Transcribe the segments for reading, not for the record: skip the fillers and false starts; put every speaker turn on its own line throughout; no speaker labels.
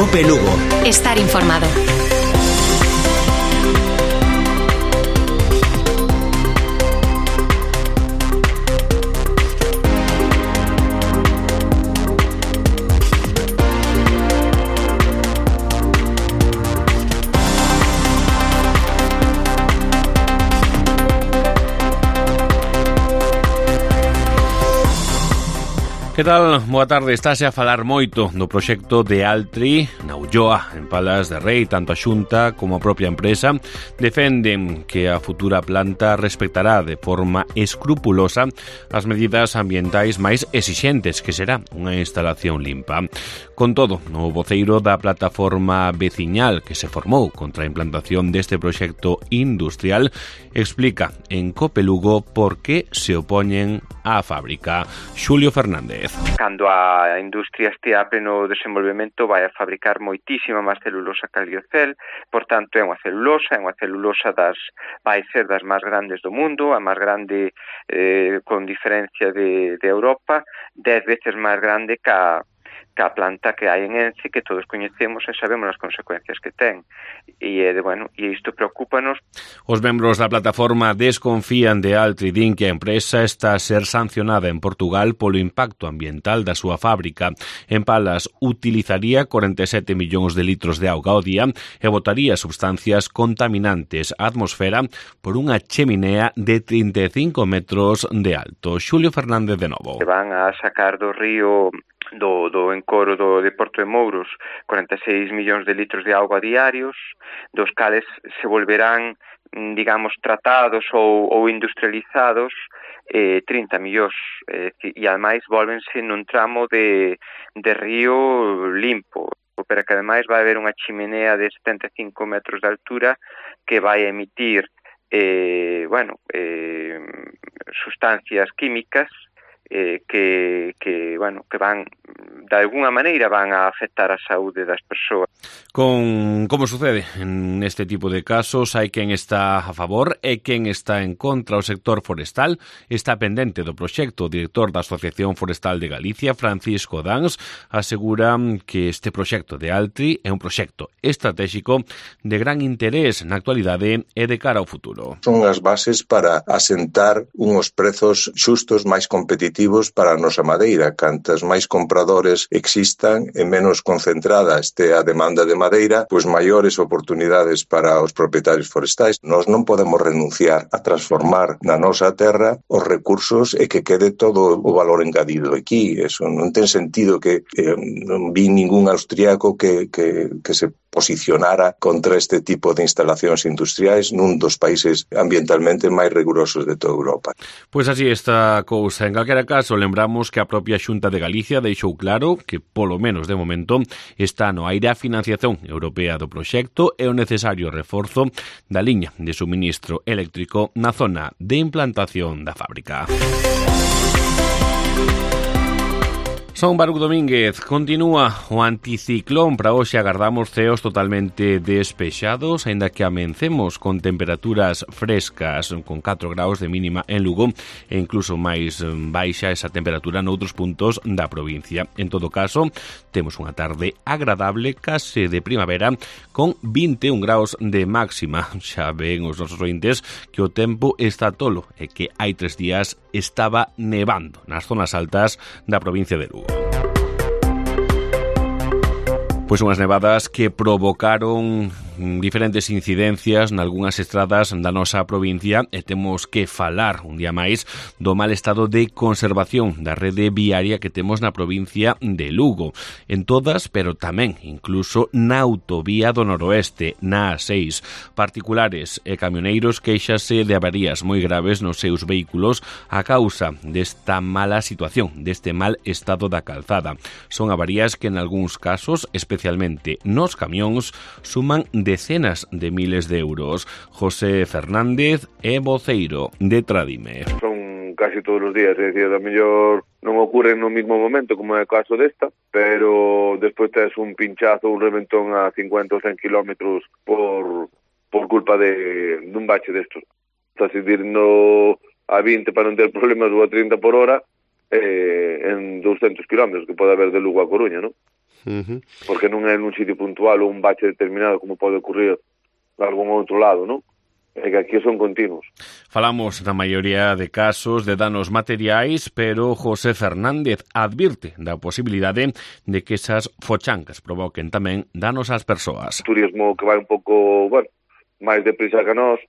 COPE Lugo.
Estar informado.
Que tal? Boa tarde. Estáse a falar moito do proxecto de Altri na Ulloa, en Palas de Rei. Tanto a Xunta como a propia empresa defenden que a futura planta respectará de forma escrupulosa as medidas ambientais máis exixentes, que será unha instalación limpa. Con todo, o voceiro da plataforma veciñal que se formou contra a implantación deste proxecto industrial explica en COPE Lugo por que se opoñen á fábrica. Xulio Fernández.
Cando a industria estea a pleno desenvolvemento vai a fabricar moitísima máis celulosa que a liocel, por tanto é unha celulosa vai ser das máis grandes do mundo, a máis grande con diferencia de Europa, 10 veces máis grande que a planta que hai en Ence, que todos coñecemos e sabemos as consecuencias que ten. E isto preocúpanos.
Os membros da plataforma desconfían de Altri, din que a empresa está a ser sancionada en Portugal polo impacto ambiental da súa fábrica. En Palas utilizaría 47 millóns de litros de auga ao día e botaría sustancias contaminantes á atmosfera por unha cheminea de 35 metros de alto. Xulio Fernández de novo.
Se van a sacar do río do encoro de Porto de Mouros 46 millóns de litros de auga diarios, dos cales se volverán, digamos, tratados ou industrializados 30 millóns, e ademais volvense nun tramo de río limpo, pero que ademais vai haber unha chimenea de 75 metros de altura que vai emitir sustancias químicas que van, de alguna maneira, van a afectar a saúde das persoas.
Como sucede neste tipo de casos, hai quen está a favor e quen está en contra. O sector forestal está pendente do proxecto. O director da Asociación Forestal de Galicia, Francisco Dans, asegura que este proxecto de Altri é un proxecto estratégico de gran interés na actualidade e de cara ao futuro.
Son as bases para asentar unhos prezos xustos máis competitivos para a nosa madeira. Cantas máis compradores existan e menos concentrada este a demanda de madeira, pois maiores oportunidades para os propietarios forestais. Nós non podemos renunciar a transformar na nosa terra os recursos e que quede todo o valor engadido aquí. Eso non ten sentido que non vi ningún austriaco que se posicionara contra este tipo de instalacións industriais nun dos países ambientalmente máis rigurosos de toda Europa.
Pois así está a cousa. En calquera caso, lembramos que a propia Xunta de Galicia deixou claro que, polo menos de momento, está no aire a financiación europea do proxecto e o necesario reforzo da liña de suministro eléctrico na zona de implantación da fábrica. Son Baruc Domínguez. Continúa o anticiclón. Para hoxe agardamos ceos totalmente despexados, aínda que amencemos con temperaturas frescas, con 4 graus de mínima en Lugo e incluso máis baixa esa temperatura noutros puntos da provincia. En todo caso, temos unha tarde agradable, case de primavera, con 21 graus de máxima. Xa ven os nosos ointes que o tempo está tolo e que hai 3 días estaba nevando nas zonas altas da provincia de Lugo. Pois unhas nevadas que provocaron diferentes incidencias nalgúnas estradas da nosa provincia e temos que falar un día máis do mal estado de conservación da rede viaria que temos na provincia de Lugo. En todas, pero tamén incluso na autovía do noroeste, na A6. Particulares e camioneiros queixase de avarías moi graves nos seus vehículos a causa desta mala situación, deste mal estado da calzada. Son avarías que en algúns casos, especialmente nos camións, suman decenas de miles de euros. José Fernández é voceiro de Tradime.
Son casi todos os días, é dicir, a mellor non ocorre no mismo momento como é o caso desta, pero despois tes un pinchazo, un reventón a 50 ou 100 kilómetros por culpa dun bache destos. Estás indo a 20 para non ter problemas ou a 30 por hora en 200 kilómetros que pode haber de Lugo a Coruña, non? porque non é nun sitio puntual ou un bache determinado como pode ocurrir de algún outro lado, non? É que aquí son continuos.
Falamos na maioría de casos de danos materiais, pero José Fernández advirte da posibilidade de que esas fochancas provoquen tamén danos ás persoas.
Turismo que vai un pouco, máis deprisa que nós,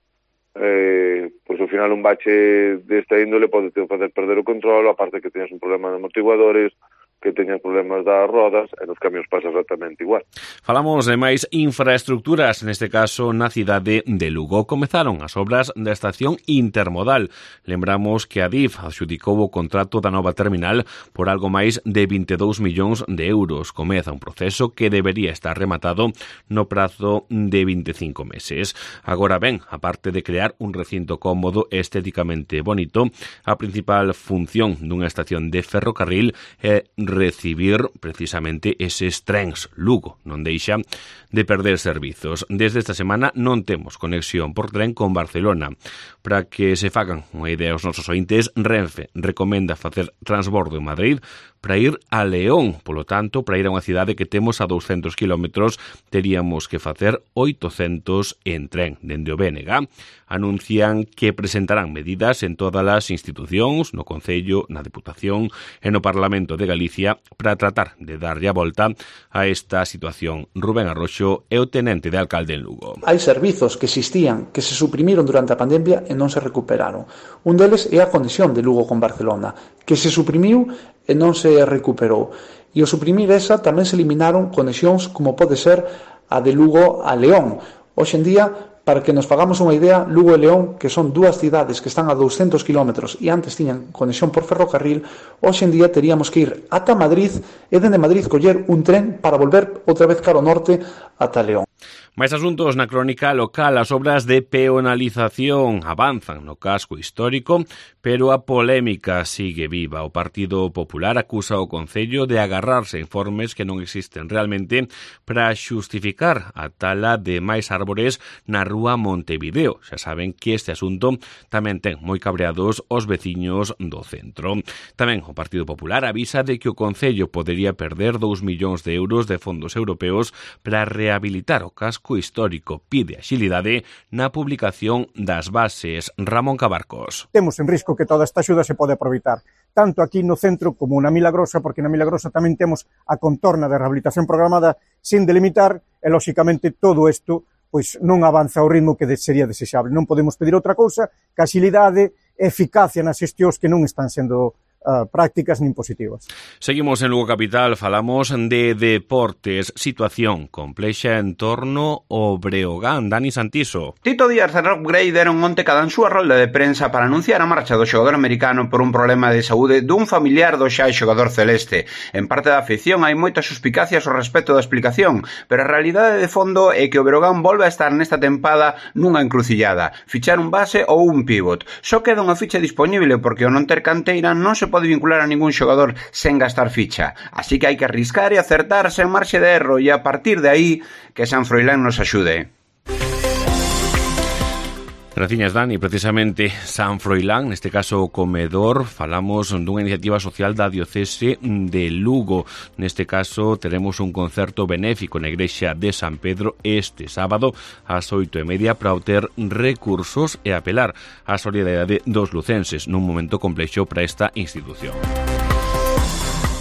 pois ao final un bache desta índole pode te facer perder o control, aparte que teñas un problema de amortiguadores, que teñas problemas das rodas, e nos camións pasa exactamente igual.
Falamos de máis infraestructuras, neste caso na cidade de Lugo. Comezaron as obras da estación intermodal. Lembramos que Adif adxudicou o contrato da nova terminal por algo máis de 22 millóns de euros. Comeza un proceso que debería estar rematado no prazo de 25 meses. Agora ben, aparte de crear un recinto cómodo e estéticamente bonito, a principal función dunha estación de ferrocarril é recibir precisamente eses trens. Lugo non deixa de perder servizos. Desde esta semana non temos conexión por tren con Barcelona. Para que se fagan unha idea os nosos ointes, Renfe recomenda facer transbordo en Madrid para ir a León. Polo tanto, para ir a unha cidade que temos a 200 kilómetros, teríamos que facer 800 en tren. Dende o BNG anuncian que presentarán medidas en todas as institucións, no Concello, na Deputación e no Parlamento de Galicia para tratar de darlle a volta a esta situación. Rubén Arroxo é o tenente de alcalde en Lugo.
Hai servizos que existían, que se suprimiron durante a pandemia e non se recuperaron. Un deles é a conexión de Lugo con Barcelona, que se suprimiu e non se recuperou. E ao suprimir esa tamén se eliminaron conexións como pode ser a de Lugo a León. Hoxe en día, para que nos fagamos unha idea, Lugo e León, que son dúas cidades que están a 200 kilómetros e antes tiñan conexión por ferrocarril, hoxe en día teríamos que ir ata Madrid e dende Madrid coller un tren para volver outra vez cara ao norte ata León.
Máis asuntos na crónica local. As obras de peonalización avanzan no casco histórico, pero a polémica sigue viva. O Partido Popular acusa o Concello de agarrarse a informes que non existen realmente para xustificar a tala de máis árbores na rúa Montevideo. Xa saben que este asunto tamén ten moi cabreados os veciños do centro. Tamén o Partido Popular avisa de que o Concello podería perder 2 millóns de euros de fondos europeos para rehabilitar o casco histórico. Pide axilidade na publicación das bases. Ramón Cabarcos.
Temos en risco que toda esta axuda se pode aproveitar, tanto aquí no centro como na Milagrosa, porque na Milagrosa tamén temos a contorna de rehabilitación programada sin delimitar, e lóxicamente todo isto pois non avanza ao ritmo que sería desexable. Non podemos pedir outra cousa que axilidade e eficacia nas xestións que non están sendo prácticas nin positivas.
Seguimos en Lugo Capital, falamos de deportes, situación complexa en torno ao Breogán. Dani Santiso.
Tito Díaz e Rob Gray deron onte cada en súa rolda de prensa para anunciar a marcha do xogador americano por un problema de saúde dun familiar do xa xogador celeste. En parte da afición hai moitas suspicacias ao respecto da explicación, pero a realidade de fondo é que o Breogán volve a estar nesta tempada nunha encrucillada, fichar un base ou un pivot. Só queda unha ficha disponible porque ao non ter canteira non se pode vincular a ningún xogador sen gastar ficha. Así que hai que arriscar e acertar sen marxe de erro, e a partir de aí que San Froilán nos axude.
Graciñas, Dani. Precisamente San Froilán, neste caso o comedor, falamos dunha iniciativa social da diocese de Lugo. Neste caso teremos un concerto benéfico na igrexa de San Pedro este sábado ás 8:30 para obter recursos e apelar á solidariedade dos lucenses nun momento complexo para esta institución.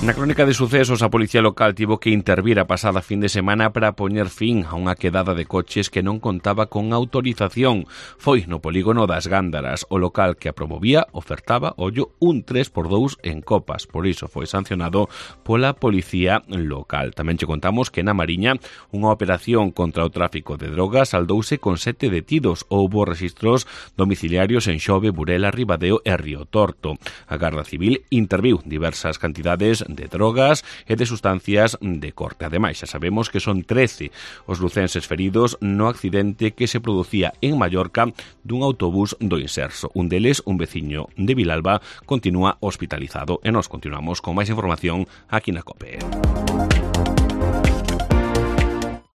Na crónica de sucesos, a policía local tivo que intervir a pasada fin de semana para poñer fin a unha quedada de coches que non contaba con autorización. Foi no polígono das Gándaras. O local que a promovía ofertaba, ollo, un 3x2 en copas. Por iso foi sancionado pola policía local. Tamén che contamos que na Mariña unha operación contra o tráfico de drogas saldouse con 7 detidos. Houbo registros domiciliarios en Xove, Burela, Ribadeo e Río Torto. A Garda Civil interviu diversas cantidades de drogas e de sustancias de corte. Ademais, xa sabemos que son 13 os lucenses feridos no accidente que se producía en Mallorca dun autobús do Inserso. Un deles, un veciño de Vilalba, continúa hospitalizado e nos continuamos con máis información aquí na COPE.